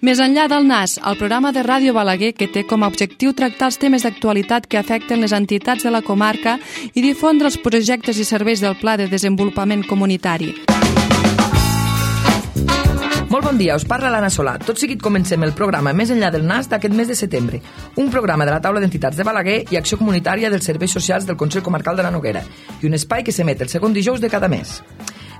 Més enllà del NAS, el programa de Ràdio Balaguer que té com a objectiu tractar els temes d'actualitat que afecten les entitats de la comarca i difondre els projectes i serveis del Pla de Desenvolupament Comunitari. Molt bon dia, us parla l'Anna Solà. Tot seguit comencem el programa Més enllà del NAS d'aquest mes de setembre, un programa de la taula d'entitats de Balaguer i acció comunitària dels serveis socials del Consell Comarcal de la Noguera i un espai que s'emet el segon dijous de cada mes.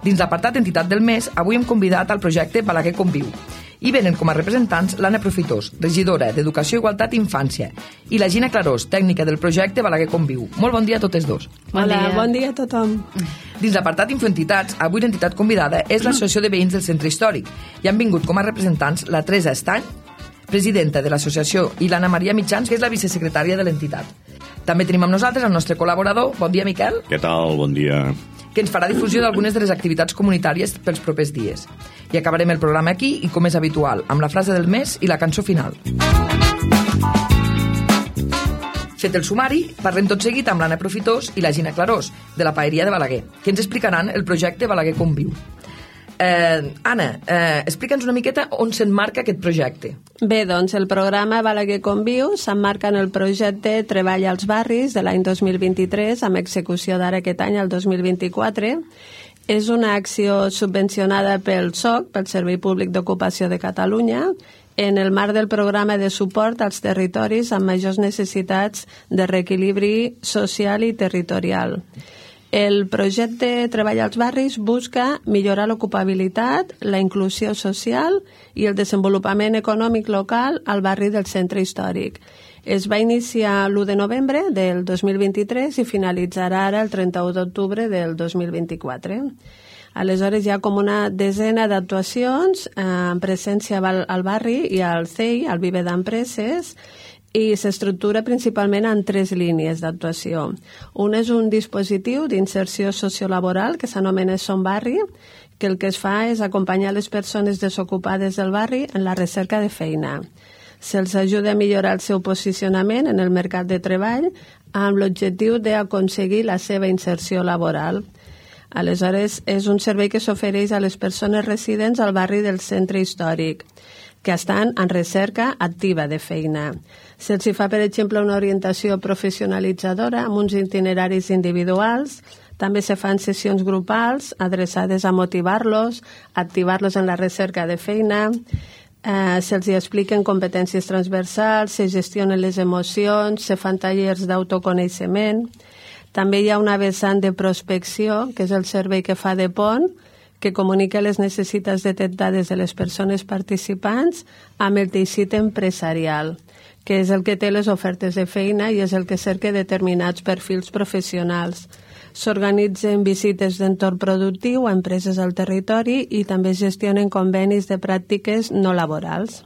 Dins l'apartat Entitat del Mes, avui hem convidat al projecte Balaguer Conviu. Hi venen com a representants l'Anna Profitós, regidora d'Educació, Igualtat i Infància, i la Gina Clarós, tècnica del projecte Balaguer Conviu. Molt bon dia a totes dos. Bon dia a tothom. Dins l'apartat Infoentitats, avui l'entitat convidada és l'Associació de Veïns del Centre Històric i han vingut com a representants la Teresa Estany, presidenta de l'associació, i l'Anna Maria Mitjans, que és la vicesecretària de l'entitat. També tenim amb nosaltres el nostre col·laborador. Bon dia, Miquel. Què tal? Bon dia. Que ens farà difusió d'algunes de les activitats comunitàries pels propers dies. I acabarem el programa aquí i, com és habitual, amb la frase del mes i la cançó final. Fet el sumari, parlem tot seguit amb l'Anna Profitós i la Gina Clarós, de la Paeria de Balaguer, que ens explicaran el projecte Balaguer Conviu. Anna, explica'ns una miqueta on s'emmarca aquest projecte. Bé, doncs el programa Balaguer Conviu s'emmarca en el projecte Treball als Barris de l'any 2023, amb execució d'ara aquest any, el 2024. És una acció subvencionada pel SOC, pel Servei Públic d'Ocupació de Catalunya, en el marc del programa de suport als territoris amb majors necessitats de reequilibri social i territorial. El projecte Treball als Barris busca millorar l'ocupabilitat, la inclusió social i el desenvolupament econòmic local al barri del centre històric. Es va iniciar l'1 de novembre del 2023 i finalitzarà ara el 31 d'octubre del 2024. Aleshores hi ha com una desena d'actuacions en presència al barri i al CEI, al Viver d'Empreses, i s'estructura principalment en 3 línies d'actuació. Un és un dispositiu d'inserció sociolaboral que s'anomena Som Barri, que el que es fa és acompanyar les persones desocupades del barri en la recerca de feina. Se'ls ajuda a millorar el seu posicionament en el mercat de treball amb l'objectiu d'aconseguir la seva inserció laboral. Aleshores, és un servei que s'ofereix a les persones residents al barri del centre històric, que estan en recerca activa de feina. Se'ls fa, per exemple, una orientació professionalitzadora amb uns itineraris individuals. També se fan sessions grupals adreçades a motivar-los, activar-los en la recerca de feina. Se'ls expliquen competències transversals, se gestionen les emocions, se fan tallers d'autoconeixement. També hi ha una vessant de prospecció, que és el servei que fa de pont, que comunica les necessitats detectades de les persones participants amb el teixit empresarial, que és el que té les ofertes de feina i és el que cerca determinats perfils professionals. S'organitzen visites d'entorn productiu a empreses al territori i també es gestionen convenis de pràctiques no laborals.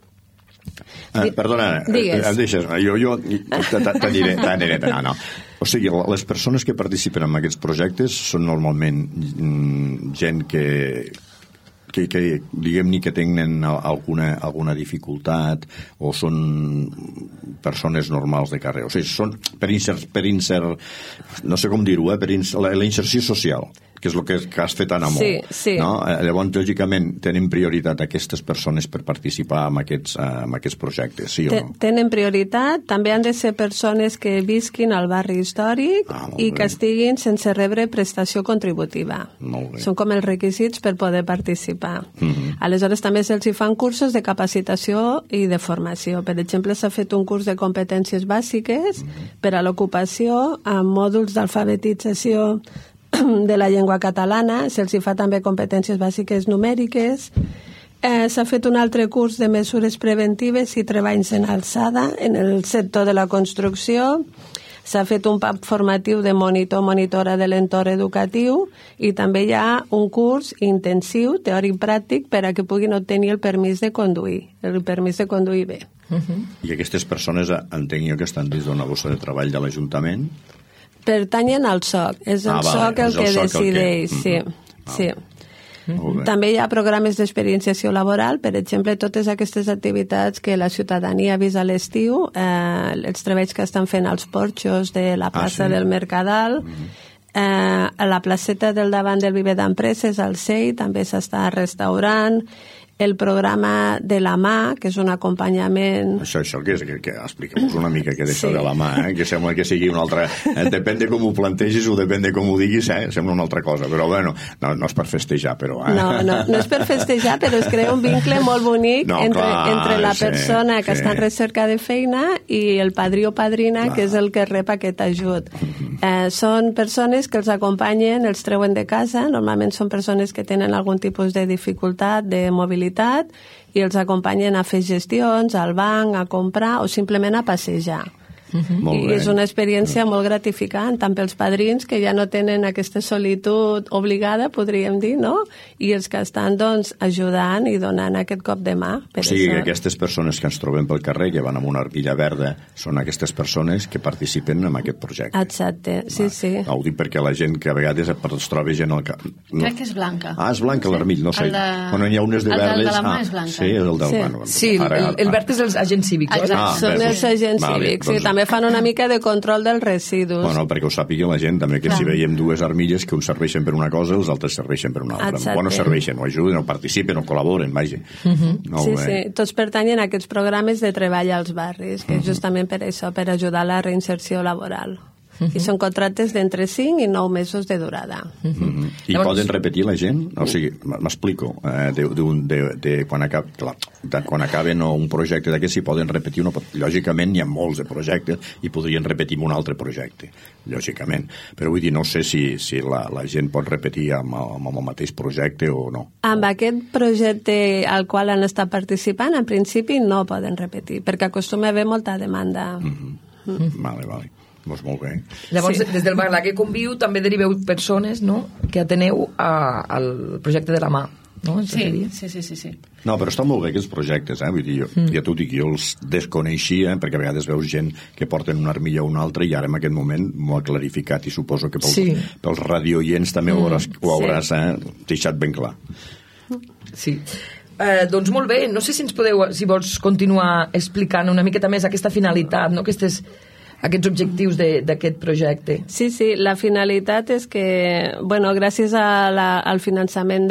Perdona, em deixes? Jo t'aniré. No. O sigui, les persones que participen en aquests projectes són normalment gent que diguem-ne que tenen alguna dificultat o són persones normals de carrer. O sigui, són per insert, no sé com dir-ho, per la inserció social, que és el que has fet, Anna, molt. Sí. No? Llavors, lògicament, tenen prioritat aquestes persones per participar en aquests projectes, sí o no? Tenen prioritat. També han de ser persones que visquin al barri històric i que estiguin sense rebre prestació contributiva. Són com els requisits per poder participar. Aleshores, també se'ls fan cursos de capacitació i de formació. Per exemple, s'ha fet un curs de competències bàsiques per a l'ocupació amb mòduls d'alfabetització de la llengua catalana, se'ls fa també competències bàsiques numèriques. S'ha fet un altre curs de mesures preventives i treballs en alçada en el sector de la construcció. S'ha fet un PAP formatiu de monitora de l'entorn educatiu i també hi ha un curs intensiu, teòric-pràctic, per a que puguin obtenir el permís de conduir bé. I aquestes persones, entenc jo, que estan dins d'una bossa de treball de l'Ajuntament? Pertanyen al SOC, és el SOC el que decideix, sí. També hi ha programes d'experienciació laboral, per exemple, totes aquestes activitats que la ciutadania ha vist a l'estiu, els treballs que estan fent als porxos de la plaça del Mercadal, a la placeta del davant del Viver d'Empreses, al CEI, també s'està restaurant. el programa de la mà, que és un acompanyament... Això què és? Que expliquem-nos una mica què és això de la mà, que sembla que sigui una altra... Depèn de com ho plantegis o depèn de com ho diguis, sembla una altra cosa, però bueno, no és per festejar, però... No és per festejar, però es crea un vincle molt bonic entre la persona que està en recerca de feina i el padrí o padrina, que és el que rep aquest ajut. Són persones que els acompanyen, els treuen de casa, normalment són persones que tenen algun tipus de dificultat, de mobilitat, i els acompanyen a fer gestions, al banc, a comprar o simplement a passejar. I és una experiència molt gratificant, tant pels padrins, que ja no tenen aquesta solitud obligada, podríem dir, no? I els que estan, doncs, ajudant i donant aquest cop de mà. O sigui que aquestes persones que ens trobem pel carrer, que van amb una armilla verda, són aquestes persones que participen en aquest projecte. Exacte, sí. Ho dic perquè la gent que a vegades es troba gent... Crec que és blanca. És blanca l'armilla, no sé. Quan n'hi ha unes de verdes... El de la mà és blanca. Sí, és el del mà. Sí, el verd és els agents cívics. Són els agents cívics, sí, també fan una mica de control dels residus. Bueno, perquè ho sàpiga la gent, també, que si veiem dues armilles que uns serveixen per una cosa, els altres serveixen per una altra. Exacte. Bueno, serveixen, o ajuden, o participen, o col·laboren, vaja. Sí, tots pertanyen a aquests programes de treball als barris, que és justament per això, per ajudar a la reinserció laboral. I són contractes d'entre 5 i 9 mesos de durada. I poden repetir la gent? O sigui, m'explico, quan acaben un projecte d'aquest, si poden repetir, lògicament hi ha molts de projectes i podrien repetir un altre projecte, lògicament. Però vull dir, no sé si la gent pot repetir amb el mateix projecte o no. Amb aquest projecte al qual han estat participant, en principi no poden repetir, perquè acostuma a haver molta demanda. Vale. Doncs molt bé. Llavors, des del Balaguer Conviu també deriveu persones, no?, que ateneu al projecte de la mà. No? Sí. No, però estan molt bé aquests projectes, vull dir, ja t'ho dic, jo els desconeixia, perquè a vegades veus gent que porten una armilla o una altra i ara en aquest moment m'ho ha clarificat i suposo que pels radioients també ho hauràs deixat ben clar. Sí. Doncs molt bé, no sé si ens podeu, si vols continuar explicant una miqueta més aquesta finalitat, no?, aquests objectius d'aquest projecte. Sí, la finalitat és que, gràcies al finançament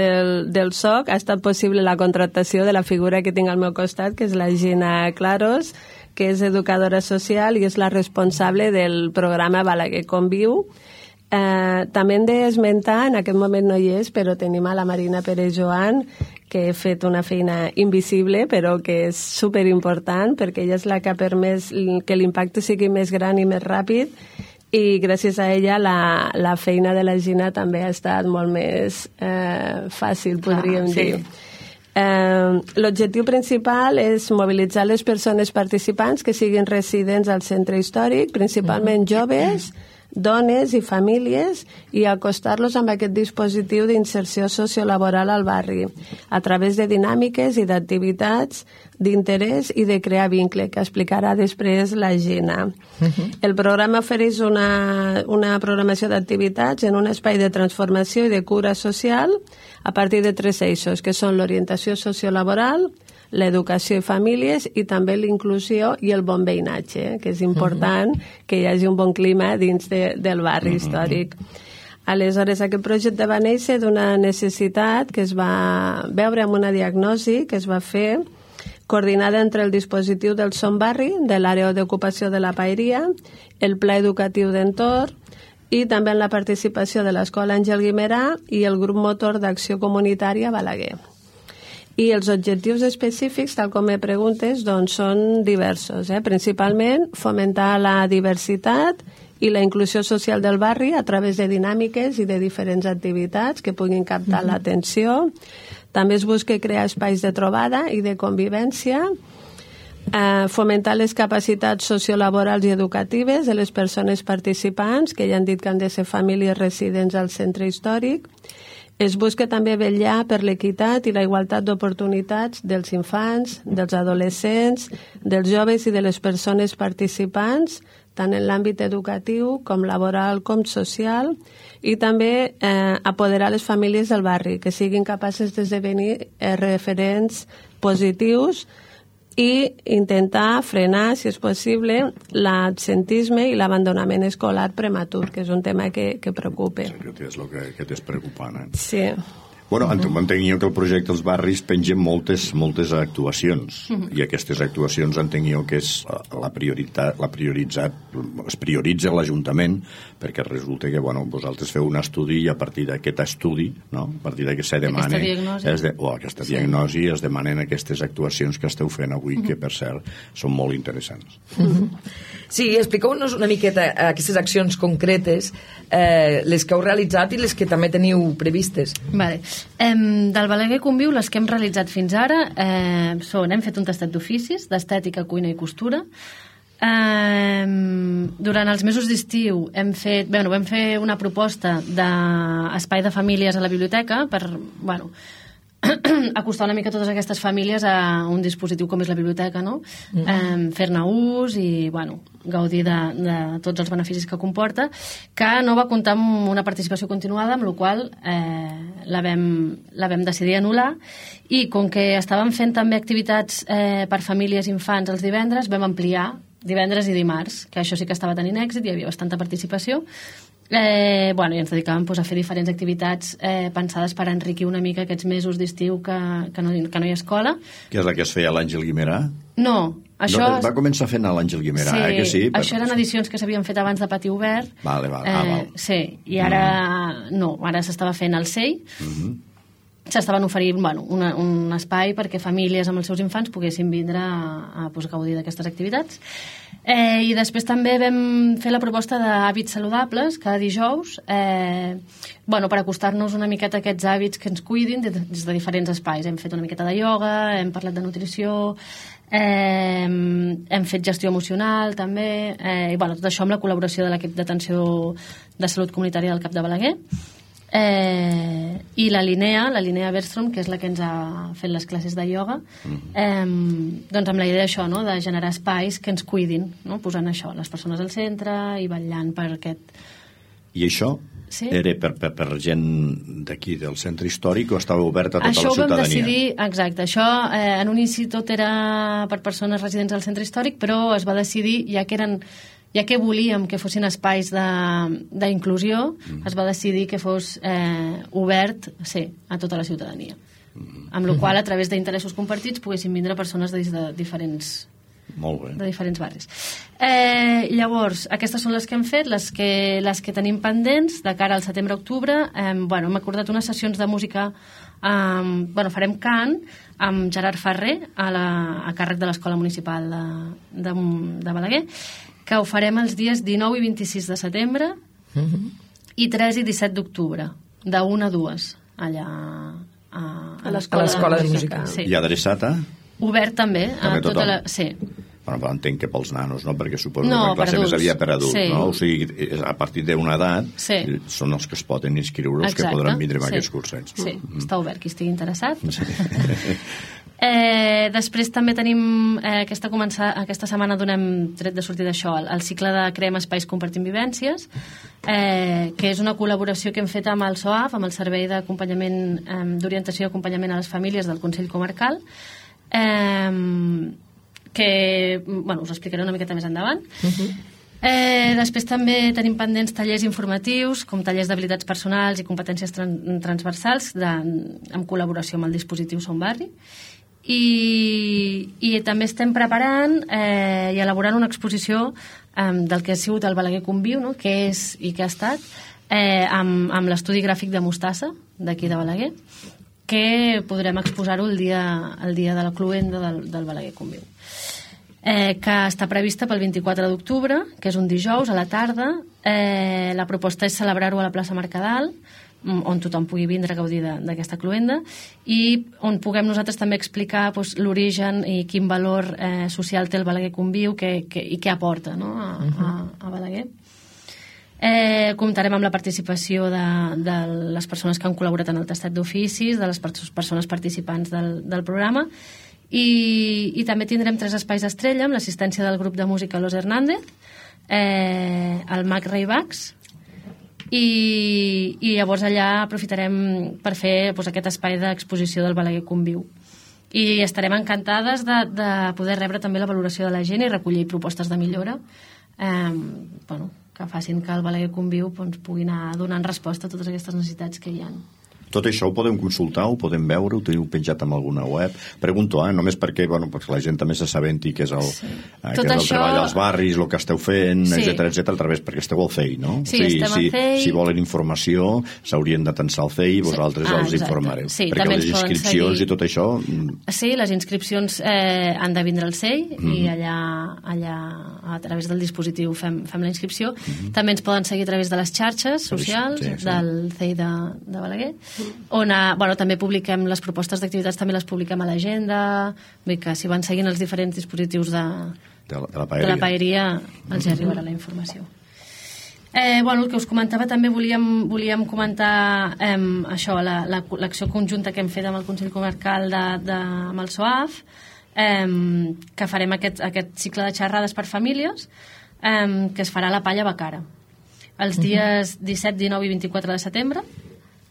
del SOC ha estat possible la contractació de la figura que tinc al meu costat, que és la Gina Claros, que és educadora social i és la responsable del programa Balaguer Conviu. També hem d'esmentar, en aquest moment no hi és, però tenim a la Marina Pérez Joan, que ha fet una feina invisible, però que és superimportant, perquè ella és la que ha permès que l'impacte sigui més gran i més ràpid, i gràcies a ella la feina de la Gina també ha estat molt més fàcil, podríem dir. L'objectiu principal és mobilitzar les persones participants que siguin residents al centre històric, principalment joves, dones i famílies, i acostar-los amb aquest dispositiu d'inserció sociolaboral al barri a través de dinàmiques i d'activitats d'interès i de crear vincle, que explicarà després la Gina. El programa ofereix una programació d'activitats en un espai de transformació i de cura social a partir de 3 eixos, que són l'orientació sociolaboral, l'educació i famílies i també l'inclusió i el bon veïnatge, que és important que hi hagi un bon clima dins del barri històric. Aleshores, aquest projecte va néixer d'una necessitat que es va veure amb una diagnosi que es va fer coordinada entre el dispositiu del Som Barri, de l'àrea d'ocupació de la Paeria, el Pla Educatiu d'Entorn i també en la participació de l'Escola Àngel Guimerà i el grup motor d'acció comunitària Balaguer. I els objectius específics, tal com me preguntes, doncs són diversos. Principalment, fomentar la diversitat i la inclusió social del barri a través de dinàmiques i de diferents activitats que puguin captar l'atenció. També es busca crear espais de trobada i de convivència, fomentar les capacitats sociolaborals i educatives de les persones participants, que ja han dit que han de ser famílies residents al centre històric. Es busca també vetllar per l'equitat i la igualtat d'oportunitats dels infants, dels adolescents, dels joves i de les persones participants, tant en l'àmbit educatiu com laboral com social, i també apoderar les famílies del barri, que siguin capaces d'esdevenir referents positius i intentar frenar, si és possible, l'absentisme i l'abandonament escolar prematur, que és un tema que preocupa. Sí, que és el que t'és preocupant. Sí. Bueno, entenc jo que el projecte dels barris penja moltes actuacions, i aquestes actuacions entenc jo que és es prioritza l'Ajuntament, perquè resulta que vosaltres feu un estudi i a partir d'aquest estudi, no? A partir d'aquest se demana aquesta diagnosi es demanen aquestes actuacions que esteu fent avui, que per cert són molt interessants. Sí, expliqueu-nos una miqueta aquestes accions concretes, les que heu realitzat i les que també teniu previstes. Vale. Del Balaguer Conviu, les que hem realitzat fins ara hem fet un tastet d'oficis d'estètica, cuina i costura. Durant els mesos d'estiu vam fer una proposta d'espai de famílies a la biblioteca per acostar una mica totes aquestes famílies a un dispositiu com és la biblioteca, no? Fer-ne ús i gaudir de tots els beneficis que comporta, que no va comptar amb una participació continuada, amb la qual la vam decidir anul·lar, i com que estàvem fent també activitats per famílies i infants els divendres, vam ampliar divendres i dimarts, que això sí que estava tenint èxit, hi havia bastanta participació. I ens dedicàvem a fer diferents activitats pensades per enriquir una mica aquests mesos d'estiu que no hi ha escola. Que és la que es feia a l'Àngel Guimerà? No, això... Va començar fent a l'Àngel Guimerà, que sí? Això eren edicions que s'havien fet abans de Pati Obert. Val. Sí, i ara no, ara s'estava fent al CEI. S'estaven oferint un espai perquè famílies amb els seus infants poguessin vindre a gaudir d'aquestes activitats. I després també vam fer la proposta d'hàbits saludables cada dijous per acostar-nos una miqueta a aquests hàbits que ens cuidin des de diferents espais. Hem fet una miqueta de ioga, hem parlat de nutrició, hem fet gestió emocional també, i tot això amb la col·laboració de l'equip d'atenció de salut comunitària del CAP de Balaguer. I la Linnea Bergstrom, que és la que ens ha fet les classes de ioga, amb la idea d'això, no? De generar espais que ens cuidin, no? Posant això, les persones al centre i vetllant per aquest... I això era per gent d'aquí del centre històric o estava obert a tota la ciutadania? Això ho vam decidir, exacte, això en un inici tot era per persones residents del centre històric, però es va decidir, ja que volíem que fossin espais d'inclusió, es va decidir que fos obert a tota la ciutadania. Amb la qual, a través d'interessos compartits, poguessin vindre persones de diferents barris. Llavors, aquestes són les que hem fet, les que tenim pendents de cara al setembre-octubre. Hem acordat unes sessions de música, farem cant amb Gerard Ferrer a càrrec de l'Escola Municipal de Balaguer, que ho farem els dies 19 i 26 de setembre i 3 i 17 d'octubre, de 1 a 2, allà a l'Escola de Música. Sí. I adreçat a? Obert també. També a tota la... Sí. Però entenc que pels nanos, no? Perquè suposo que la classe més aviat per adults, no? O sigui, a partir d'una edat són els que es poden inscriure, els que podran vindre amb aquests cursets. Sí, està obert, qui estigui interessat. Després també tenim aquesta setmana donem tret de sortir d'això el cicle de Creem Espais Compartim Vivències, que és una col·laboració que hem fet amb el SOAF, amb el Servei d'Orientació i Acompanyament a les Famílies del Consell Comarcal, que us explicaré una miqueta més endavant. Després també tenim pendents tallers informatius, com tallers d'habilitats personals i competències transversals en col·laboració amb el dispositiu Som Barri. I també estem preparant i elaborant una exposició del que ha sigut el Balaguer Conviu, no? Que és i que ha estat amb l'estudi gràfic de Mostassa d'aquí de Balaguer, que podrem exposar-ho el dia de la cloenda del Balaguer Conviu, que està prevista pel 24 d'octubre, que és un dijous a la tarda. La proposta és celebrar-ho a la plaça Mercadal, on tothom pugui vindre a gaudir d'aquesta cloenda, i on puguem nosaltres també explicar l'origen i quin valor social té el Balaguer Conviu i què aporta, no? a Balaguer. Comptarem amb la participació de les persones que han col·laborat en el tastet d'oficis, de les persones participants del programa, i també tindrem 3 espais estrella amb l'assistència del grup de música Los Hernández, el Mac Raybax, i llavors allà aprofitarem per fer aquest espai d'exposició del Balaguer Conviu. I estarem encantades de poder rebre també la valoració de la gent i recollir propostes de millora que facin que el Balaguer Conviu pugui anar donant resposta a totes aquestes necessitats que hi ha. Tot això ho podem consultar, ho podem veure, ho teniu penjat en alguna web? Pregunto, només perquè la gent també s'assabenti que és el treball als barris, el que esteu fent, etc, a través, perquè esteu al CEI, no? Sí, estem al CEI. Si volen informació, s'haurien d'atensar al CEI i vosaltres els informareu. Perquè les inscripcions i tot això... Sí, les inscripcions han de vindre al CEI i allà a través del dispositiu fem la inscripció. També ens poden seguir a través de les xarxes socials del CEI de Balaguer, on també publiquem les propostes d'activitats, també les publiquem a l'agenda, vull dir que si van seguint els diferents dispositius de la paeria els hi arribarà la informació. El que us comentava, també volíem comentar això, l'acció conjunta que hem fet amb el Consell Comarcal amb el SOAF, que farem aquest cicle de xerrades per famílies, que es farà a la Palla Bacara els dies 17, 19 i 24 de setembre,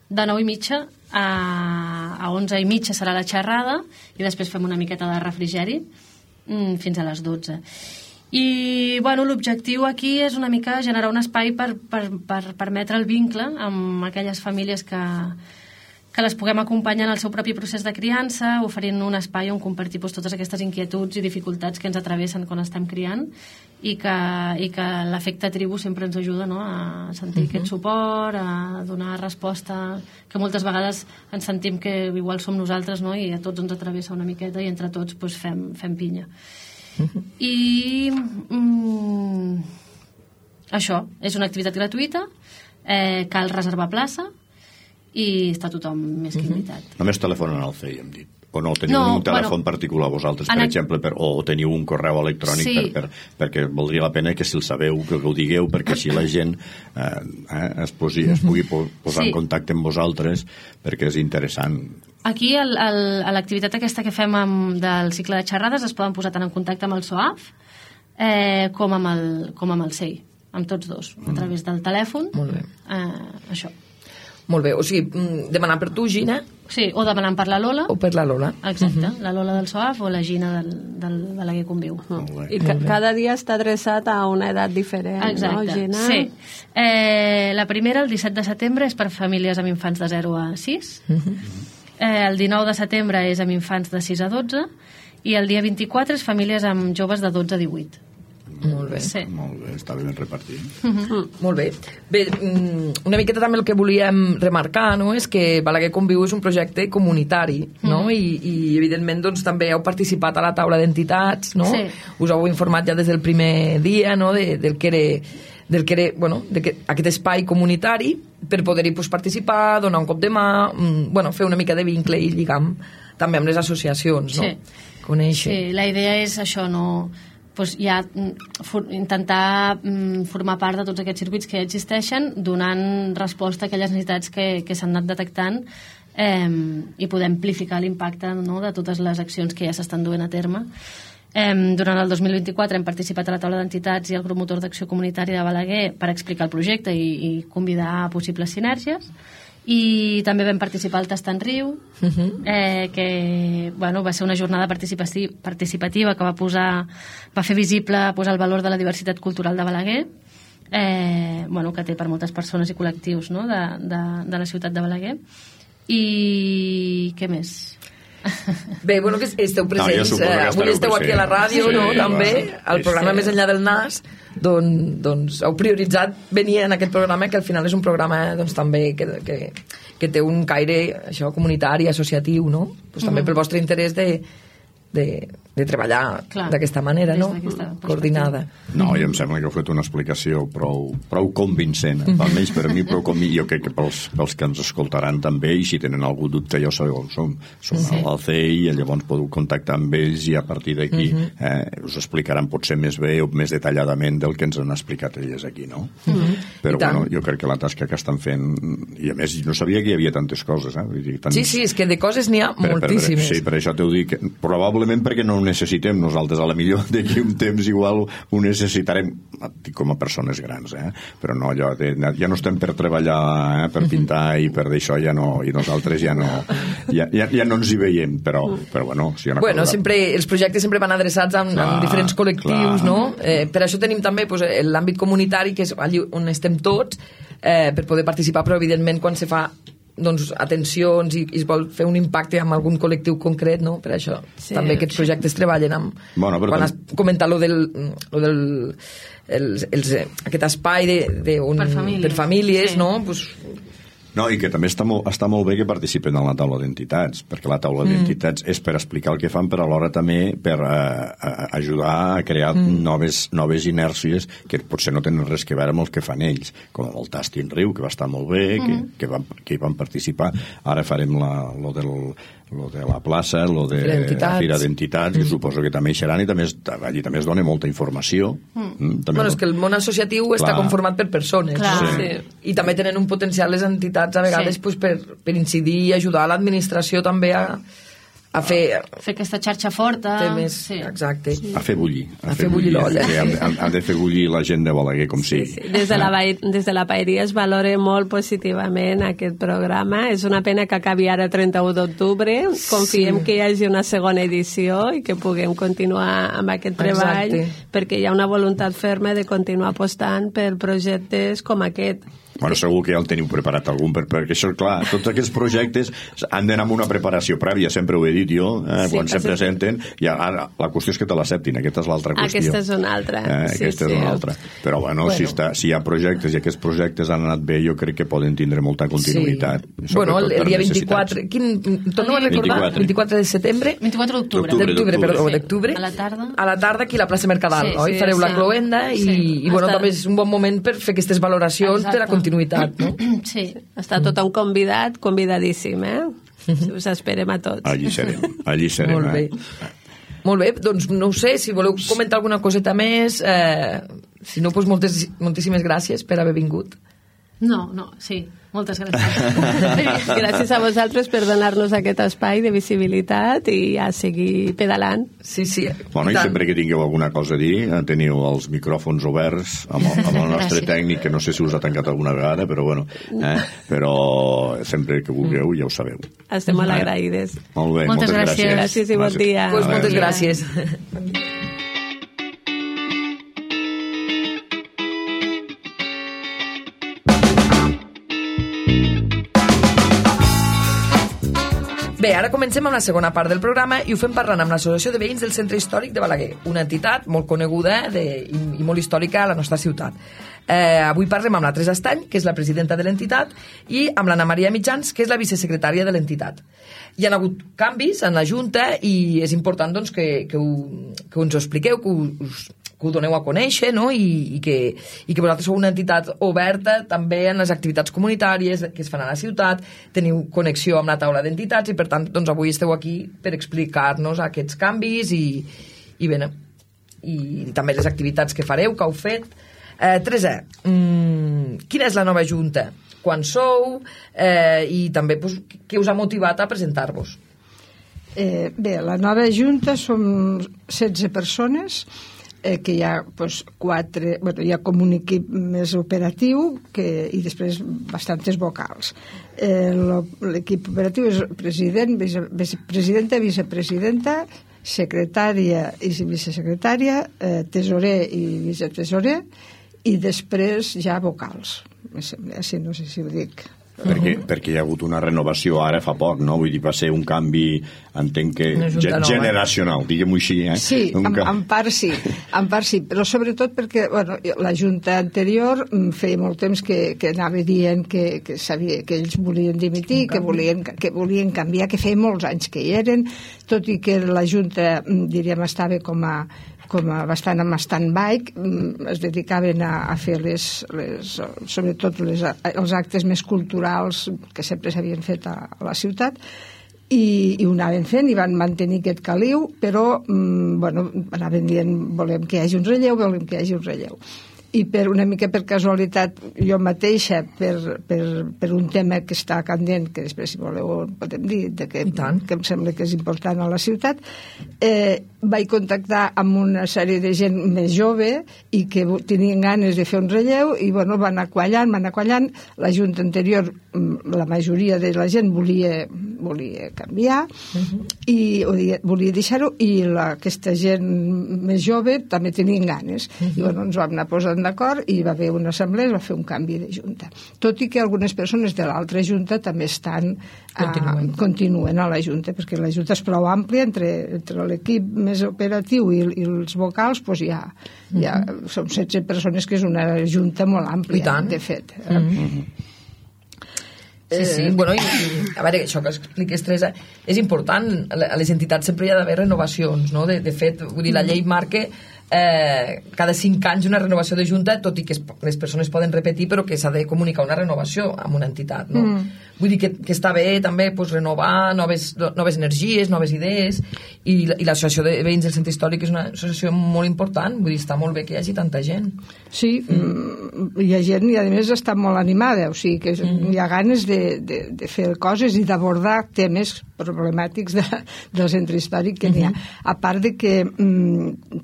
de 9:30 a 11:30 serà la xerrada i després fem una miqueta de refrigeri fins a les 12. I l'objectiu aquí és una mica generar un espai per permetre el vincle amb aquelles famílies que les puguem acompanyar en el seu propi procés de criança, oferint un espai on compartir totes aquestes inquietuds i dificultats que ens atravessen quan estem criant i que l'efecte tribu sempre ens ajuda, no?, a sentir aquest suport, a donar resposta, que moltes vegades ens sentim que igual som nosaltres, no?, i a tots ens atravessa una miqueta i entre tots fem pinya. I això és una activitat gratuïta, cal reservar plaça i està tothom més que invitat. Només telefonen al CEI, hem dit. O no, teniu un telèfon particular vosaltres, per exemple, o teniu un correu electrònic perquè valdria la pena que si el sabeu, que ho digueu, perquè així la gent es pugui posar en contacte amb vosaltres, perquè és interessant. Aquí, a l'activitat aquesta que fem del cicle de xerrades, es poden posar tant en contacte amb el SOAF com amb el CEI, amb tots dos, a través del telèfon. Molt bé. Això. Molt bé, o sigui, demanar per tu, Gina? Sí, o demanant per la Lola. O per la Lola. Exacte, la Lola del SOAF o la Gina del Balaguer Conviu. I cada dia està adreçat a una edat diferent, no, Gina? Sí. La primera, el 17 de setembre, és per famílies amb infants de 0 a 6. El 19 de setembre és amb infants de 6 a 12 i el dia 24 és famílies amb joves de 12 a 18. Molt bé. Sí. Molt bé, està ben repartit. Molt bé. Bé, una miqueta també el que volíem remarcar, no?, és que Balaguer Conviu és un projecte comunitari, no?, i evidentment doncs, també heu participat a la taula d'entitats, no? Sí. Us heu informat ja des del primer dia, no?, del que era aquest espai comunitari per poder-hi participar, donar un cop de mà, fer una mica de vincle i lligam també amb les associacions, no? Sí. Conèixer. Sí, la idea és això, no... ja intentar formar part de tots aquests circuits que ja existeixen, donant resposta a aquelles necessitats que s'han anat detectant i poder amplificar l'impacte, no?, de totes les accions que ja s'estan duent a terme. Durant el 2024 hem participat a la taula d'entitats i al grup motor d'acció comunitària de Balaguer per explicar el projecte i convidar a possibles sinergies. I també vam participar al Tastant Riu, que va ser una jornada participativa que va fer visible, posar el valor de la diversitat cultural de Balaguer, que té per moltes persones i col·lectius, no?, de la ciutat de Balaguer. I què més? Bé, que esteu presents, avui esteu aquí a la ràdio, no?, també, al programa Més enllà del nas, doncs heu prioritzat venir en aquest programa, que al final és un programa també que té un caire comunitari, associatiu, no? També pel vostre interès de treballar d'aquesta manera, no? Coordinada. No, i em sembla que heu fet una explicació prou convincent, almenys per mi, però jo crec que pels que ens escoltaran també, i si tenen algun dubte ja ho sabeu on som al CEI, i llavors podeu contactar amb ells i a partir d'aquí us explicaran potser més bé o més detalladament del que ens han explicat elles aquí, no? Però jo crec que la tasca que estan fent, i a més no sabia que hi havia tantes coses, Sí, és que de coses n'hi ha moltíssimes. Sí, per això t'ho dic, probablement perquè no ho necessitem nosaltres, a la millor d'aquí un temps igual ho necessitarem com a persones grans, però no allò ja no estem per treballar, per pintar i per d'això ja no, i nosaltres ja no ens hi veiem, però bueno, si sempre els projectes sempre van adreçats amb diferents col·lectius, no? Per això tenim també l'àmbit comunitari, que és allí on estem tots, per poder participar, però evidentment quan se fa atencions i es vol fer un impacte amb algun col·lectiu concret, no? Per això també aquests projectes treballen amb... Quan has comentat aquest espai per famílies, no? No, i que també està molt bé que participen en la taula d'entitats, perquè la taula d'entitats és per explicar el que fan, però alhora també per ajudar a crear noves inèrcies que potser no tenen res que veure amb els que fan ells, com el Tastin Riu, que va estar molt bé, que hi van participar. Ara farem lo de la plaça, lo de la Fira d'Entitats, que suposo que també hi seran, i allí també es dona molta informació. És que el món associatiu està conformat per persones, i també tenen un potencial les entitats a vegades per incidir i ajudar a l'administració també a fer aquesta xarxa forta. Exacte. A fer bullir. A fer bullir l'olla. Han de fer bullir la gent de Balaguer, com sigui. Des de la Paeria es valora molt positivament aquest programa. És una pena que acabi ara 31 d'octubre. Confiem que hi hagi una segona edició i que puguem continuar amb aquest treball, perquè hi ha una voluntat ferma de continuar apostant per projectes com aquest. Bueno, segur que ja el teniu preparat algun, perquè això, clar, tots aquests projectes han d'anar amb una preparació prèvia, sempre ho he dit jo, quan se presenten, i ara la qüestió és que te l'acceptin, aquesta és l'altra qüestió. Aquesta és una altra. Aquesta és una altra. Però, bueno, si hi ha projectes i aquests projectes han anat bé, jo crec que poden tindre molta continuïtat. Bueno, el dia 24... Torno a recordar? 24 de setembre? 24 d'octubre. A la tarda aquí a la plaça Mercadal, oi? Fareu la cloenda i, bueno, també és un bon moment per fer aquestes valoracions de la continuïtat, no? Sí. Està tothom convidadíssim, Us esperem a tots. Allí serem. Molt bé, doncs no ho sé, si voleu comentar alguna coseta més, si no, doncs moltíssimes gràcies per haver vingut. No, sí, moltes gràcies. Gràcies a vosaltres per donar-nos aquest espai de visibilitat i a seguir pedalant. Sí. Bueno, i sempre que tingueu alguna cosa a dir, teniu els micròfons oberts amb el nostre tècnic, que no sé si us ha tancat alguna vegada, però bueno, però sempre que vulgueu ja ho sabeu. Estem molt agraïdes. Molt bé, moltes gràcies. Gràcies i bon dia. Moltes gràcies. Bé, ara comencem amb la segona part del programa i ho fem parlant amb l'Associació de Veïns del Centre Històric de Balaguer, una entitat molt coneguda i molt històrica a la nostra ciutat. Avui parlem amb la Teresa Estany, que és la presidenta de l'entitat, i amb l'Anna Maria Mitjans, que és la vicesecretària de l'entitat. Hi ha hagut canvis en la Junta i és important doncs, que ens ho expliqueu, que ho doneu a conèixer, no? I que vosaltres sou una entitat oberta també en les activitats comunitàries que es fan a la ciutat, teniu connexió amb la taula d'entitats i per tant doncs, avui esteu aquí per explicar-nos aquests canvis i també les activitats que fareu, que heu fet. Teresa, quina és la nova Junta? Quan sou? I també doncs, què us ha motivat a presentar-vos? Bé, la nova Junta som 16 persones, que hi ha doncs, 4, hi ha com un equip més operatiu i després bastantes vocals. L'equip operatiu és president, vicepresidenta, vicepresidenta, secretària i vicesecretària, tesorer i vicetesorer, i després ja vocals. Així no sé si ho dic. Perquè hi ha hagut una renovació ara fa poc, no? Vull dir, va ser un canvi, entenc que generacional, diguem-ho així, Sí, en part sí, però sobretot perquè la Junta anterior feia molt temps que anava dient que sabia que ells volien dimitir, que volien canviar, que feia molts anys que hi eren, tot i que la Junta, diríem, estava com a bastant en stand-by, es dedicaven a fer sobretot els actes més culturals que sempre s'havien fet a la ciutat, i ho anaven fent i van mantenir aquest caliu, però anaven dient volem que hi hagi un relleu, i una mica per casualitat jo mateixa, per un tema que està candent, que després si voleu podem dir, que em sembla que és important a la ciutat, vaig contactar amb una sèrie de gent més jove i que tenien ganes de fer un relleu i van anar quallant. La Junta anterior, la majoria de la gent volia canviar i volia deixar-ho, i aquesta gent més jove també tenien ganes, i ens vam anar posant posaran d'acord i va haver una assemblea i va fer un canvi de junta. Tot i que algunes persones de l'altra junta també continuen a la junta, perquè la junta és prou àmplia, entre l'equip més operatiu i els vocals, doncs ja són 16 persones, que és una junta molt àmplia, de fet. Sí. Bueno, a veure, això que expliques, Teresa, és important. A les entitats sempre hi ha d'haver renovacions, no? De fet, vull dir, la llei marca cada 5 anys una renovació de junta, tot i que les persones poden repetir, però que s'ha de comunicar una renovació amb una entitat, no? Vull dir que està bé també renovar noves energies, noves idees, i l'associació de veïns del centre històric és una associació molt important. Vull dir, està molt bé que hi hagi tanta gent. Sí, hi ha gent i a més està molt animada, o sigui que hi ha ganes de fer coses i d'abordar temes problemàtics del centre històric que n'hi ha. A part de que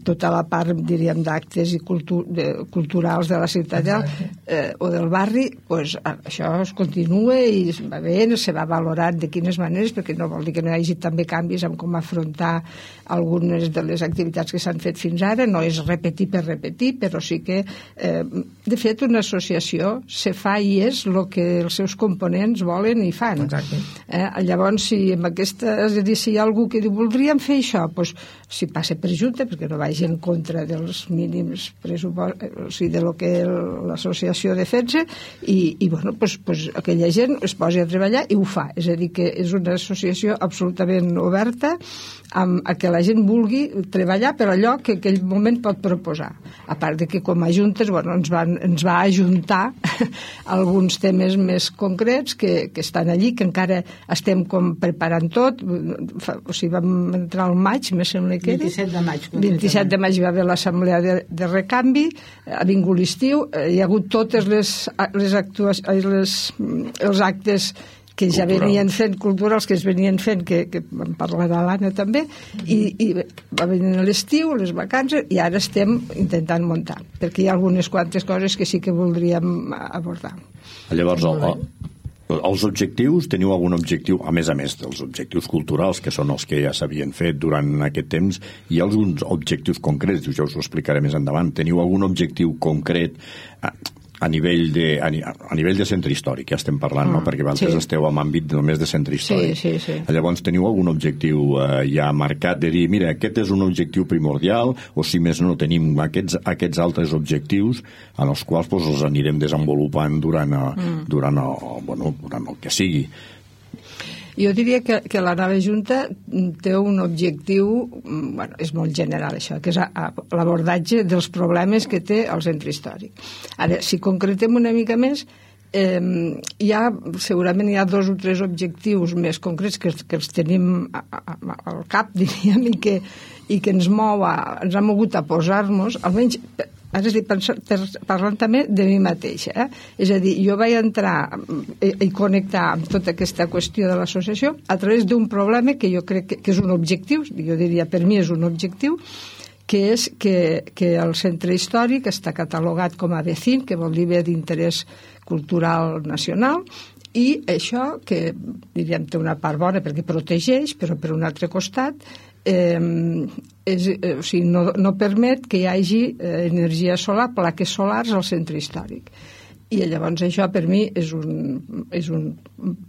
tota la part, diríem, d'actes i culturals de la ciutat o del barri, doncs això es continua i va bé, se va valorant de quines maneres, perquè no vol dir que no hi hagi també canvis en com afrontar algunes de les activitats que s'han fet fins ara. No és repetir per repetir, però sí que de fet una associació se fa i és el que els seus components volen i fan. Llavors, si amb aquesta, és a dir, si hi ha algú que diu voldríem fer això, doncs si passa per junta, perquè no vagi en contra dels mínims pressupostos, o sigui, de lo que l'associació defensa, i bueno, doncs aquella gent es posa a treballar i ho fa. És a dir, que és una associació absolutament oberta a que la gent vulgui treballar per allò que en aquell moment pot proposar. A part de que com a juntes, bueno, ens va ajuntar alguns temes més concrets que estan allí, que encara estem com preparant tot. O sigui, vam entrar al maig, me sembla que era. 27 de maig va haver l'assemblea de recanvi, ha vingut l'estiu, hi ha hagut totes els actes que ja venien fent, culturals que es venien fent, que vam parlar de l'Anna també, i va venir l'estiu, les vacances, i ara estem intentant muntar, perquè hi ha algunes quantes coses que sí que voldríem abordar. Llavors, els objectius, teniu algun objectiu, a més dels objectius culturals, que són els que ja s'havien fet durant aquest temps, hi ha alguns objectius concrets, jo us ho explicaré més endavant, teniu algun objectiu concret a nivell de centre històric, ja estem parlant, no? Perquè vosaltres esteu en àmbit només de centre històric. Sí. Llavors, teniu algun objectiu ja marcat de dir, mira, aquest és un objectiu primordial, o si més no tenim aquests altres objectius en els quals els anirem desenvolupant durant el que sigui. Jo diria que la nova Junta té un objectiu, bueno, és molt general això, que és l'abordatge dels problemes que té el centre històric. Ara, si concretem una mica més, segurament hi ha 2 o 3 objectius més concrets que els tenim al cap, diríem, i que ens ha mogut a posar-nos, almenys ara estic parlant també de mi mateixa. És a dir, jo vaig entrar i connectar amb tota aquesta qüestió de l'associació a través d'un problema que jo crec que és un objectiu, jo diria per mi és un objectiu, que és que el centre històric està catalogat com a BCIN, que vol dir bé d'interès cultural nacional, i això, que diríem té una part bona perquè protegeix, però per un altre costat o sigui, no permet que hi hagi energia solar, plaques solars al centre històric. I llavors això per mi és un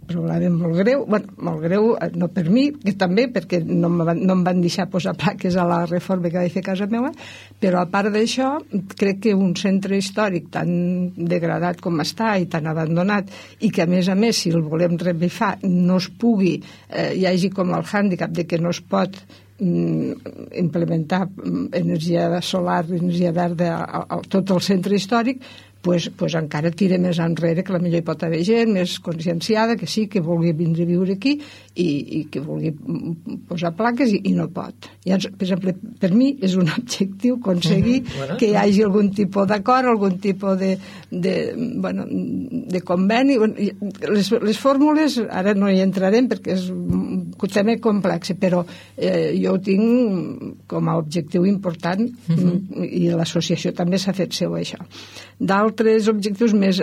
problema molt greu, molt greu no per mi, que també perquè no em van deixar posar plaques a la reforma que vaig fer a casa meva, però a part d'això crec que un centre històric tan degradat com està i tan abandonat, i que a més si el volem revifar no es pugui, hi hagi com el hàndicap de que no es pot implementar energia solar, energia verda a tot el centre històric, pues encara tira més enrere, que potser hi pot haver gent més conscienciada, que sí, que vulgui vindre a viure aquí i que vulgui posar plaques i no pot. Llavors, per exemple, per mi és un objectiu aconseguir que hi hagi algun tipus d'acord, algun tipus de conveni. Les fórmules, ara no hi entrarem perquè és un tema complex, però jo ho tinc com a objectiu important i l'associació també s'ha fet seu això. D'altres objectius més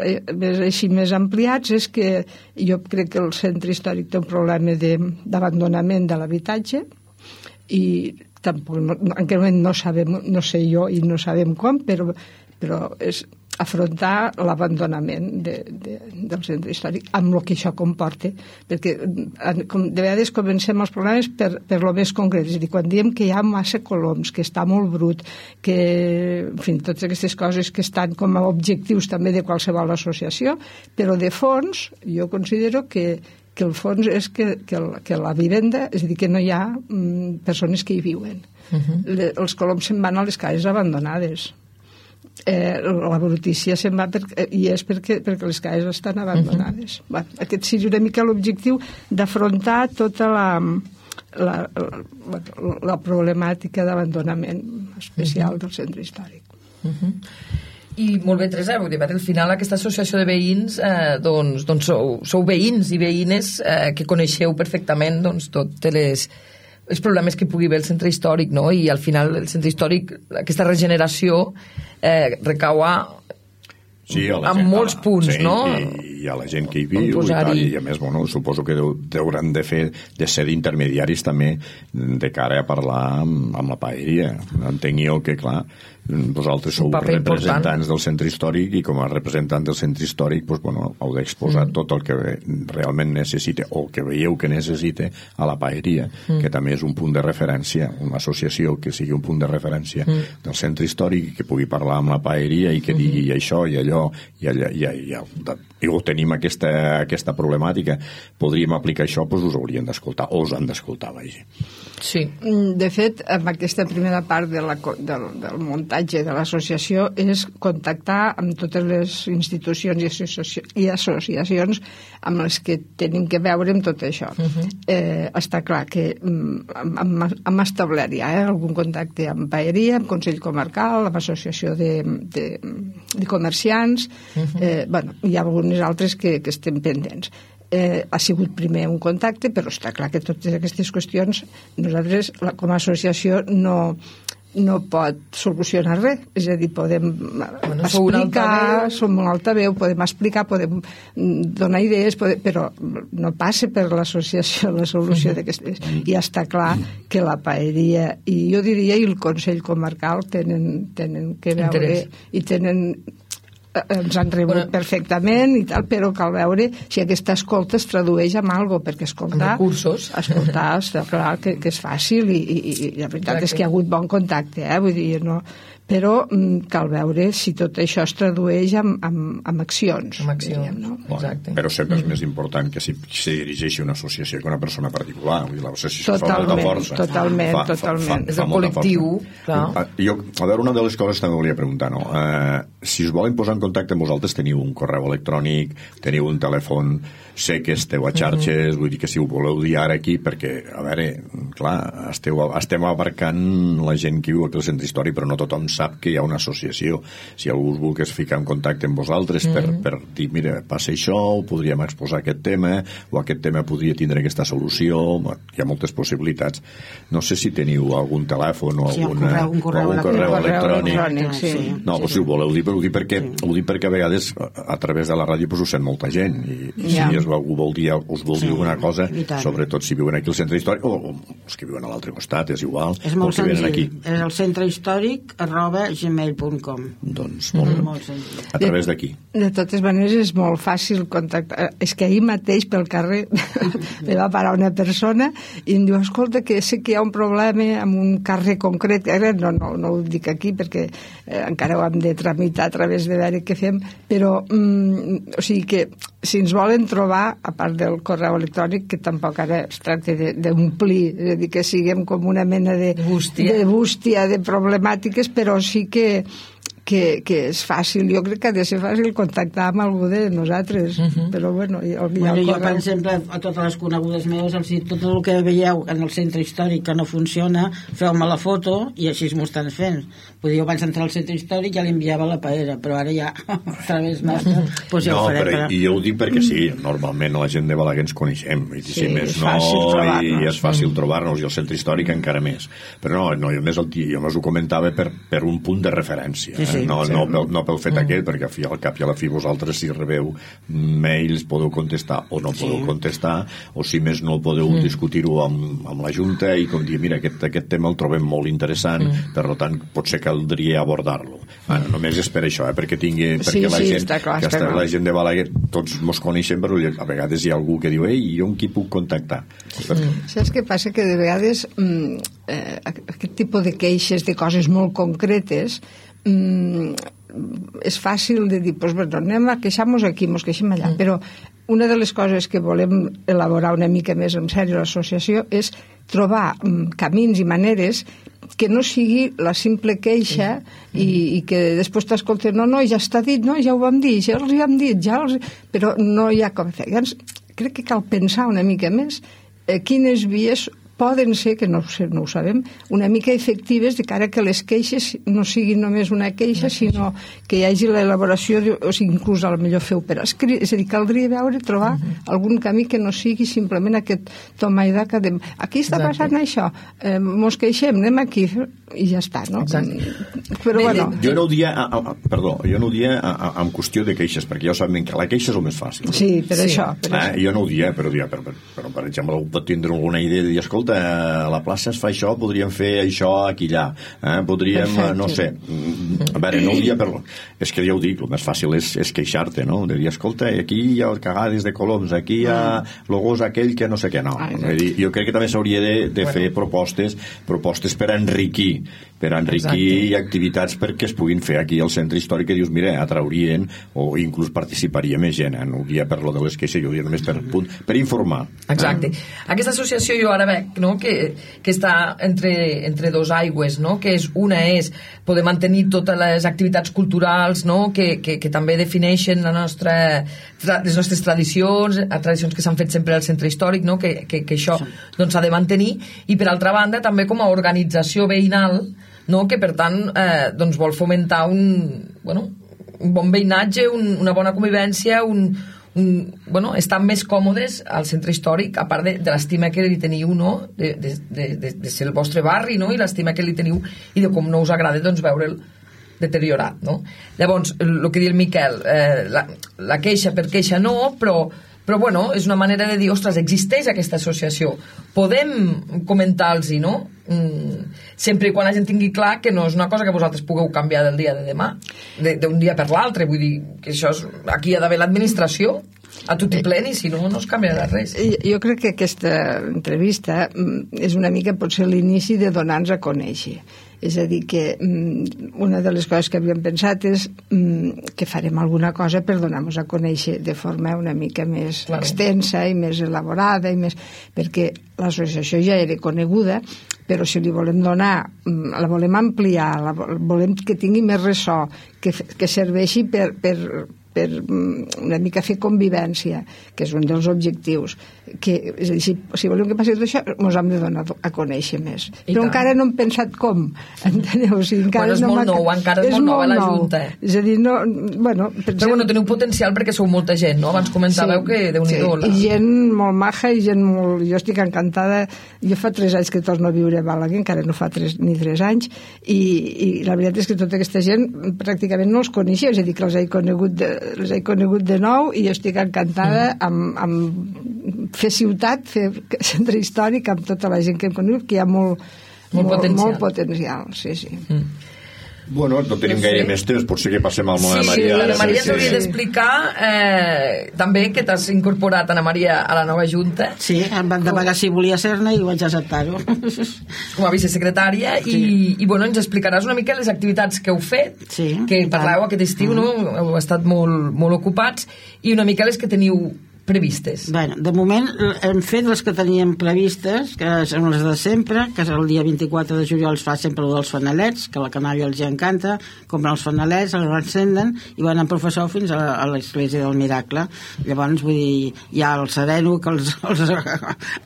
ampliats és que jo crec que el centre històric té un problema d'abandonament de l'habitatge i tampoc en aquell moment no sé jo i no sabem com, però però és afrontar l'abandonament del centre històric amb el que això comporta, perquè de vegades comencem els problemes per lo més concret, és a dir, quan diem que hi ha massa coloms, que està molt brut, que, en fi, totes aquestes coses que estan com a objectius també de qualsevol associació, però de fons jo considero que el fons és que la vivenda, és a dir, que no hi ha persones que hi viuen. Els coloms se'n van a les cases abandonades. La brutícia se'n va i és perquè les cases estan abandonades. Aquest seria una mica l'objectiu d'afrontar tota la problemàtica d'abandonament especial del centre històric. I molt bé, Teresa, vull dir, al final aquesta associació de veïns doncs sou veïns i veïnes que coneixeu perfectament tots els problemes que pugui haver el centre històric, no? I al final el centre històric, aquesta regeneració recau en molts punts, no? I a la gent que hi viu i a més, bueno, suposo que hauran de ser d'intermediaris també de cara a parlar amb la paeria. Entenc jo que, clar, vosaltres sou representants del centre històric i com a representant del centre històric heu d'exposar tot el que realment necessita o que veieu que necessita a la paeria, que també és un punt de referència, una associació que sigui un punt de referència del centre històric i que pugui parlar amb la paeria i que digui això i allò i ho tenim aquesta problemàtica, podríem aplicar això, doncs us haurien d'escoltar o us han d'escoltar, vagi. Sí. De fet, amb aquesta primera part del muntatge de l'associació és contactar amb totes les institucions i associacions amb les que tenim que veure amb tot això. Està clar que hem establert ja algun contacte amb paeria, amb Consell Comarcal, amb Associació de Comerciants, hi ha algunes altres que estem pendents. Ha sigut primer un contacte, però està clar que totes aquestes qüestions nosaltres com a associació no pot solucionar res, és a dir, podem explicar, som un altaveu, podem explicar, podem donar idees, però no passa per l'associació la solució d'aquestes. I està clar que la paeria i jo diria i el Consell Comarcal tenen que veure i tenen ens han rebut perfectament i tal, però cal veure si aquesta escolta es tradueix en algo, perquè escoltar està clar que és fàcil i la veritat és que hi ha hagut bon contacte, vull dir, no, però cal veure si tot això es tradueix en accions. Exacte. Però sempre és més important que si dirigeixi una associació que una persona particular, vull dir, l'associació fa molta força. Totalment. És el col·lectiu. A veure, una de les coses també volia preguntar, no? Si us volen posar en contacte amb vosaltres, teniu un correu electrònic, teniu un telèfon, sé que esteu a xarxes, vull dir que si ho voleu dir ara aquí, perquè, a veure, clar, estem abarcant la gent que viu aquí al centre històric, però no tothom sap que hi ha una associació. Si algú us volgués ficar en contacte amb vosaltres per dir, mira, passa això, podríem exposar aquest tema, o aquest tema podria tindre aquesta solució, hi ha moltes possibilitats. No sé si teniu algun telèfon o algun correu electrònic. No, si ho voleu dir, però ho dic perquè a vegades a través de la ràdio us sent molta gent i si algú us vol dir alguna cosa, sobretot si viuen aquí al centre històric o els que viuen a l'altre costat, és igual. És molt senzill, és el centrehistòric@gmail.com. Doncs molt senzill. A través d'aquí. De totes maneres és molt fàcil contactar. És que ahir mateix pel carrer me va parar una persona i em diu, escolta, que sé que hi ha un problema amb un carrer concret, no ho dic aquí perquè encara ho hem de tramitar a través de veure què fem, però o sigui que si ens volen trobar, a part del correu electrònic, que tampoc ara es tracta d'omplir, és a dir, que siguem com una mena de bústia de problemàtiques, però sí que és fàcil, jo crec que ha de ser fàcil contactar amb algú de nosaltres, però bueno, jo per exemple a totes les conegudes meves els dic, tot el que veieu en el centre històric que no funciona, feu-me la foto i així m'ho estan fent. Vull dir, jo abans d'entrar al centre històric ja l'enviava a la paera, però ara ja a través nostre doncs ja ho farem. I jo ho dic perquè sí, normalment la gent de Balaguer ens coneixem i si més no, i és fàcil trobar-nos, i el centre històric encara més, però no, jo més ho comentava per un punt de referència. no pel fet aquell, perquè al cap i a la fi vosaltres si rebeu mails podeu contestar o no podeu contestar, o si més no podeu discutir-ho amb la Junta i com dir, mira, aquest tema el trobem molt interessant, per tant potser caldria abordar-lo. Només és per això, perquè la gent de Balaguer tots mos coneixem, però a vegades hi ha algú que diu, ei, jo amb qui puc contactar? Saps què passa? Que de vegades aquest tipus de queixes de coses molt concretes és fàcil de dir, doncs anem a queixar-nos aquí, ens queixem allà, però una de les coses que volem elaborar una mica més en sèrio a l'associació és trobar camins i maneres que no sigui la simple queixa i que després t'escolten, no, ja està dit, no, ja ho vam dir, ja els hi hem dit, però no hi ha com fer. Llavors, crec que cal pensar una mica més quines vies poden ser, que no ho sabem, una mica efectives de cara que les queixes no siguin només una queixa, sinó que hi hagi l'elaboració, o sigui, inclús a lo millor feu per escrit, és a dir, caldria trobar algun camí que no sigui simplement aquest toma i daca de aquí està passant això, mos queixem, anem aquí, i ja està, no? Però bueno... Jo no ho dia en qüestió de queixes, perquè ja ho sabem que la queixa és el més fàcil. Sí, per això. Jo no ho dia, però per exemple, pot tindre alguna idea de dir, escolta, a la plaça es fa això, podríem fer això aquí allà, podríem, no sé, a veure, no ho dia per... És que ja ho dic, el més fàcil és queixar-te, no? De dir, escolta, aquí hi ha cagades de coloms, aquí hi ha logos aquell que no sé què, no. Jo crec que també s'hauria de fer propostes per enriquir activitats perquè es puguin fer aquí al centre històric, que dius, mira, atraurien o inclús participaria més gent, no ho dia per lo de les queixes, jo ho dia només per informar. Exacte. Aquesta associació jo ara veig, no?, que està entre dos aigües, no?, que una és poder mantenir totes les activitats culturals, no?, que també defineixen les nostres tradicions que s'han fet sempre al centre històric, no?, que això doncs s'ha de mantenir, i per altra banda també com a organització veïnal, no?, que per tant doncs vol fomentar un bon veïnatge, una bona convivència, estar més còmodes al centre històric, a part de l'estima que li teniu, no?, de ser el vostre barri, no?, i l'estima que li teniu i de com no us agrada doncs veure'l deteriorat, no? Llavors, el que diu el Miquel, la queixa per queixa no, però és una manera de dir, ostres, existeix aquesta associació, podem comentar-los-hi, no? Sempre i quan la gent tingui clar que no és una cosa que vosaltres pugueu canviar del dia de demà, d'un dia per l'altre, vull dir que això aquí hi ha d'haver l'administració a tot i plen, i si no, no es canviarà res. Jo crec que aquesta entrevista és una mica potser l'inici de donar-nos a conèixer. És a dir, que una de les coses que havíem pensat és que farem alguna cosa per donar-nos a conèixer de forma una mica més extensa i més elaborada, perquè l'associació ja era coneguda, però si li volem donar, la volem ampliar, volem que tingui més ressò, que serveixi per una mica fer convivència, que és un dels objectius, és a dir, si volem que passi tot això ens hem de donar a conèixer més, però encara no hem pensat com, enteneu? O sigui, és molt nou, encara és molt nova la Junta, és a dir, però teniu potencial perquè sou molta gent, no? Abans comentàveu que Déu-n'hi-do i gent molt maja i gent molt... Jo estic encantada, jo fa 3 anys que torno a viure a Balaguer, encara no fa 3 anys, i la veritat és que tota aquesta gent pràcticament no els coneixia, és a dir, que els he conegut de nou, i jo estic encantada amb fer ciutat, fer centre històric amb tota la gent que hem conegut, que hi ha molt potencial, sí. Bueno, no tenim gaire més temps, potser que passem al Ana Maria. Ana Maria t'hauria d'explicar també que t'has incorporat, Ana Maria, a la nova Junta. Sí, em van demanar si volia ser-ne i vaig acceptar-ho. Com a vicesecretària, i ens explicaràs una mica les activitats que heu fet, que parleu aquest estiu, no? Heu estat molt ocupats, i una mica les que teniu previstes. Bueno, de moment hem fet les que teníem previstes, que són les de sempre, que el dia 24 de juliol es fa sempre el dels fanalets, que a la canalla els encanta, compren els fanalets, els encenden i van en professor fins a l'església del Miracle. Llavors, vull dir, hi ha el sereno que els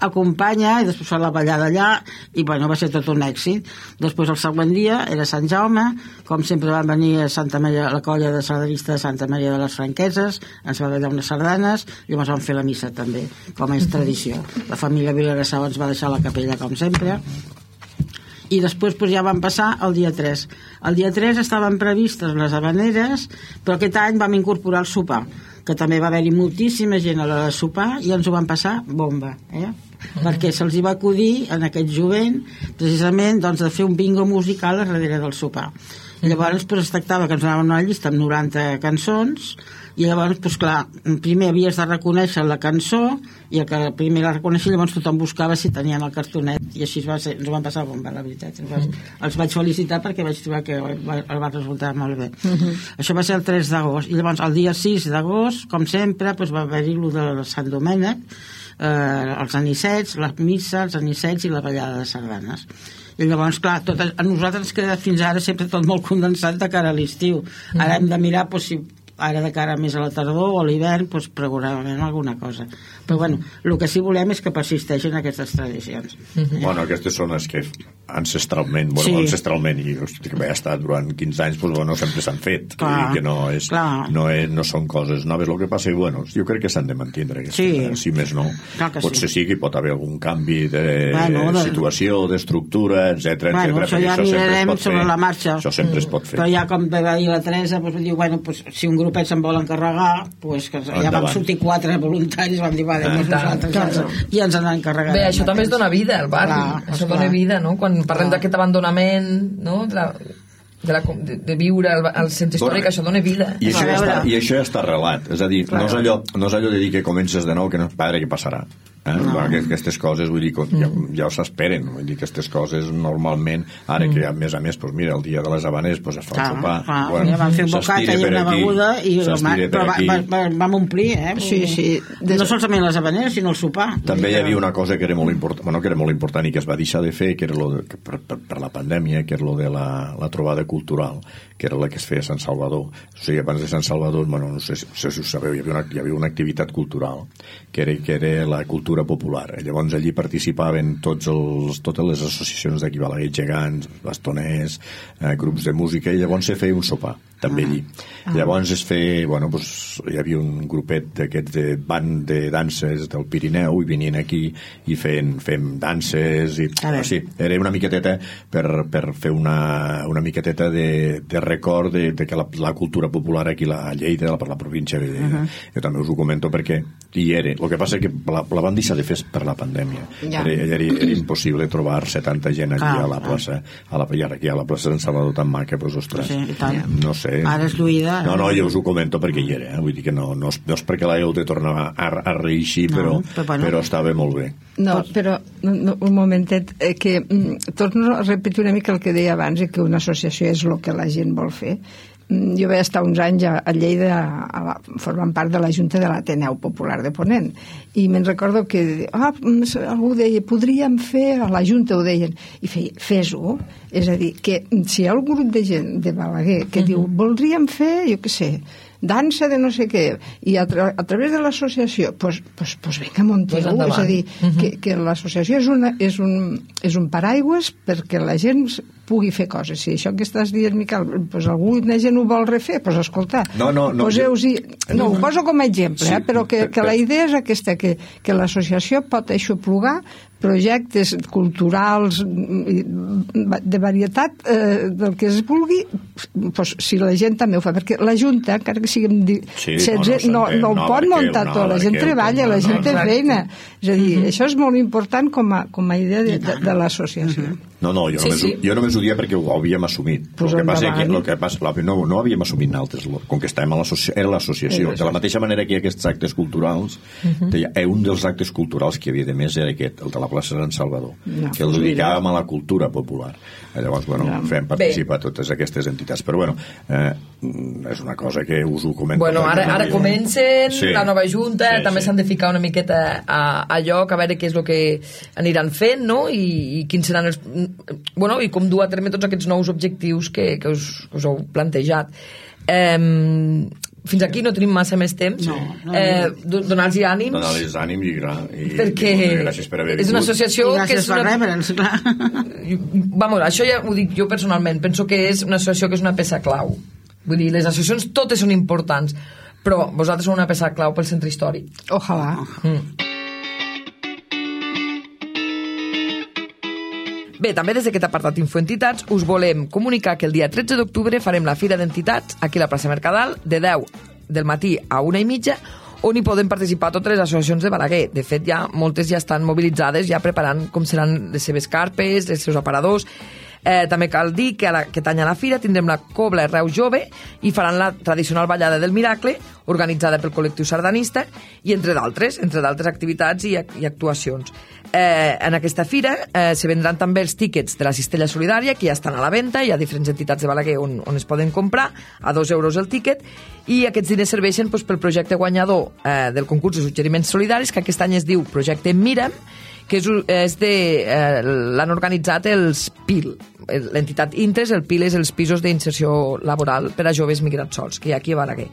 acompanya, i després fa la ballada allà, i bueno, va ser tot un èxit. Després el següent dia era Sant Jaume, com sempre van venir a Santa Maria, la colla de sardanistes de Santa Maria de les Franqueses, ens va ballar unes sardanes, llavors van fer la missa també, com és tradició. La família Vilagrasau ens va deixar la capella com sempre, i després ja van passar el dia 3. El dia 3 estaven previstes les habaneres, però aquest any vam incorporar el sopar, que també va haver-hi moltíssima gent a l'hora de sopar i ens ho van passar bomba, perquè se'ls hi va acudir en aquest jovent precisament de fer un bingo musical a darrere del sopar. I llavors es tractava que ens anaven una llista amb 90 cançons i llavors, clar, primer havies de reconèixer la cançó i el que primer la reconeixia, llavors tothom buscava si tenien el cartonet i així ens ho van passar bomba, la veritat. Els vaig felicitar perquè vaig trobar que el va resultar molt bé. Això va ser el 3 d'agost i llavors el dia 6 d'agost, com sempre, va haver-hi el de Sant Domènec, els anissets, la missa, els anissets i la ballada de sardanes. I llavors, clar, a nosaltres ens queda fins ara sempre tot molt condensat de cara a l'estiu. Ara hem de mirar si ara de cara més a la tardor o a l'hivern programem alguna cosa. Però bueno, el que sí volem és que persisteixin aquestes tradicions. Bueno, aquestes són les que ancestralment, ancestralment i que ha estat durant 15 anys, sempre s'han fet, que no són coses noves. El que passa és jo crec que s'han de mantindre, si més no. Potser sí que hi pot haver algun canvi de situació, d'estructura, etc. Això ja mirarem sobre la marxa. Això sempre es pot fer. Però ja com va dir la Teresa, diu, si un grupet se'n vol encarregar, ja vam sortir 4 voluntaris, vam dir, i ens n'han encarregat. Bé, això també es dona vida al barri, això dona vida, no? Quan parlem d'aquest abandonament, no? De viure al centre històric, això dona vida. I això ja està arrelat, és a dir, no és allò de dir que comences de nou, que no, padre, què passarà? Aquestes coses, vull dir, ja s'esperen, vull dir, aquestes coses normalment, ara que a més, mira, el dia de les habanes es fa un sopar, vam fer un bocata i una beguda però vam omplir, no solament les habaneres sinó el sopar. També hi havia una cosa que era molt important i que es va deixar de fer, que era per la pandèmia, que era de la trobada cultural, que era la que es feia a Sant Salvador. O sigui, abans de Sant Salvador, no sé si ho sabeu, hi havia una activitat cultural que era la cultura popular. Llavors allí participaven totes les associacions d'aquí Balaguer, gegants, bastoners, grups de música, i llavors se feia un sopar també allí. Llavors hi havia un grupet d'aquests de band de danses del Pirineu i venien aquí i fem danses era una miqueteta per fer una miqueteta de record de que la cultura popular aquí a Lleida, per la província de Lleida. Jo també us ho comento perquè hi era. El que passa és que la van deixar de fer per la pandèmia. Era impossible trobar 70 gent allí a la plaça, aquí a la plaça de Sant Salvador tan maca, ostres, no sé. Ara és lluïda. No, jo us ho comento perquè hi era, vull dir que no és perquè l'heu de tornar a reeixir, però estava molt bé. No, però un momentet, que torno a repetir una mica el que deia abans, que una associació és el que la gent vol fer. Jo vaig estar uns anys a Lleida formant part de la Junta de l'Ateneu Popular de Ponent i me'n recordo que algú deia, podríem fer, a la Junta ho deien, i fes-ho, és a dir, que si hi ha un grup de gent de Balaguer que diu, voldríem fer, jo què sé, dansa de no sé què, i a través de l'associació, doncs vinga, munteu, és a dir, que l'associació és un paraigües perquè la gent pugui fer coses. Si això que estàs dient, Miquel, alguna gent ho vol refer, doncs escolta, ho poso com a exemple, però que la idea és aquesta, que l'associació pot aixoplugar projectes culturals de varietat del que es vulgui, si la gent també ho fa, perquè la Junta, encara que siguem 16, no ho pot muntar tot, la gent treballa, la gent té feina, és a dir, això és molt important com a idea de l'associació. No, jo només ho dia perquè ho havíem assumit. El que passa no havíem assumit nosaltres, com que estàvem era l'associació. De la mateixa manera que hi ha aquests actes culturals, un dels actes culturals que hi havia de més era aquest, el de la plaça de Sant Salvador, que el dedicàvem a la cultura popular. Llavors, fem participar totes aquestes entitats. Però, és una cosa que us ho comento. Ara comencen la nova Junta, també s'han de ficar una miqueta a lloc, a veure què és el que aniran fent, no? I quins seran els... i com dur a terme tots aquests nous objectius que us heu plantejat. Fins aquí no tenim massa més temps. Donar-los ànims. Donar-los ànims perquè gràcies per haver vingut. És una associació que és una... rebre'ns, clar. Això ja ho dic jo personalment. Penso que és una associació que és una peça clau. Vull dir, les associacions totes són importants, però vosaltres sou una peça clau pel centre històric. Ojalà. Bé, també des d'aquest apartat Infoentitats us volem comunicar que el dia 13 d'octubre farem la Fira d'Entitats aquí a la plaça Mercadal de 10 del matí a 1:30, on hi poden participar totes les associacions de Balaguer. De fet, moltes ja estan mobilitzades, ja preparant com seran les seves carpes, els seus aparadors. També cal dir que aquest any a la Fira tindrem la Cobla Reus Jove i faran la tradicional ballada del Miracle, organitzada pel col·lectiu sardanista, i entre d'altres activitats i actuacions. En aquesta fira se vendran també els tíquets de la Cistella Solidària, que ja estan a la venda. Hi ha diferents entitats de Balaguer on es poden comprar a 2 euros el tíquet, i aquests diners serveixen pel projecte guanyador del concurs de suggeriments solidaris, que aquest any es diu Projecte Mira'm, que l'han organitzat els PIL, l'entitat Intres. El PIL és els pisos d'inserció laboral per a joves migrats sols, que hi ha aquí a Balaguer.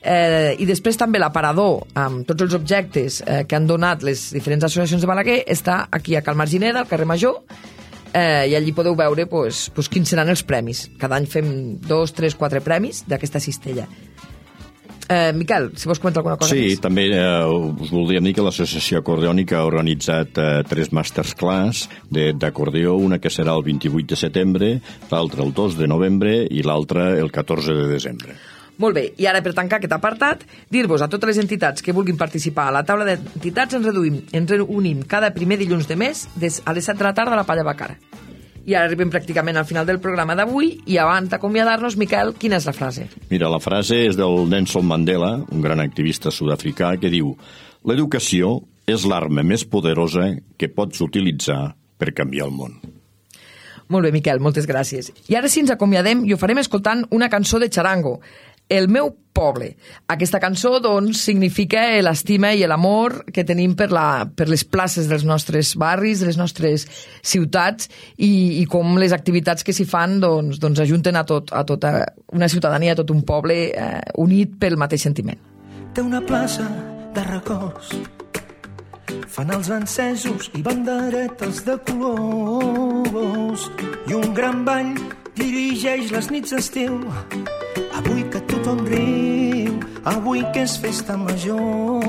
I després també l'aparador amb tots els objectes que han donat les diferents associacions de Balaguer està aquí a Cal Margineda, al carrer Major, i allí podeu veure quins seran els premis. Cada any fem 2, 3, 4 premis d'aquesta cistella. Miquel, si vols comentar alguna cosa més. Sí, també us voldríem dir que l'associació acordeònica ha organitzat 3 masterclass d'acordeó, una que serà el 28 de setembre, l'altra el 2 de novembre i l'altra el 14 de desembre. Molt bé, i ara per tancar aquest apartat, dir-vos a totes les entitats que vulguin participar a la taula d'entitats ens reunim cada primer dilluns de mes a les 7 de la tarda a la Palla Bacara. I ara arribem pràcticament al final del programa d'avui, i abans d'acomiadar-nos, Miquel, quina és la frase? Mira, la frase és del Nelson Mandela, un gran activista sud-africà, que diu: l'educació és l'arma més poderosa que pots utilitzar per canviar el món. Molt bé, Miquel, moltes gràcies. I ara sí ens acomiadem i ho farem escoltant una cançó de Charango, El meu poble. Aquesta cançó, doncs, significa l'estima i l'amor que tenim per les places dels nostres barris, de les nostres ciutats, i com les activitats que s'hi fan doncs ajunten a tota una ciutadania, a tot un poble unit pel mateix sentiment. Té una plaça de records, fan els encesos i banderetes de colors, i un gran ball dirigeix les nits d'estiu. Avui que tothom riu, avui que és festa major.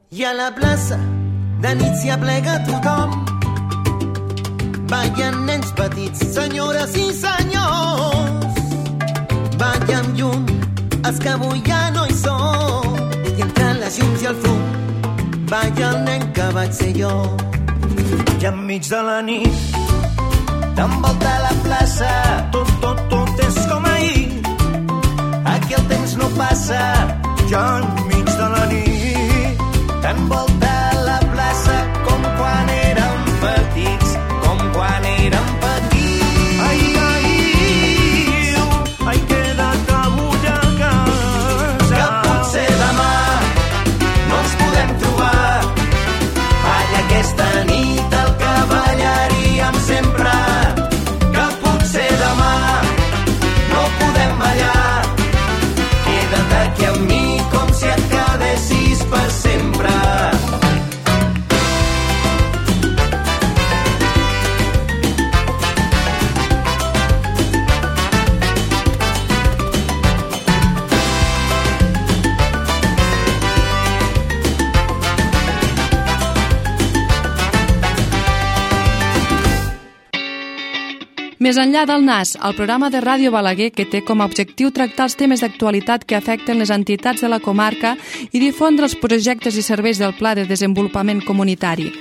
I a la plaça de nit s'hi aplega tothom, ballen nens petits, senyores i senyors, ballen amb llum els que avui ja no hi són, i entre les llums i el fum balla el nen que vaig ser jo. I enmig de la nit t'envolta la plaça, tot és com ahir. Aquí el temps no passa, ja enmig de la nit t'envolta la plaça com quan érem petits, com quan érem petits. Ai, queda't avui a casa, que potser demà no ens podem trobar. Balla aquesta nit el que ballaríem sempre, que potser demà no podem ballar. Queda't aquí amb mi com si et quedessis per sempre. Més enllà del NAS, el programa de Ràdio Balaguer, que té com a objectiu tractar els temes d'actualitat que afecten les entitats de la comarca i difondre els projectes i serveis del Pla de Desenvolupament Comunitari.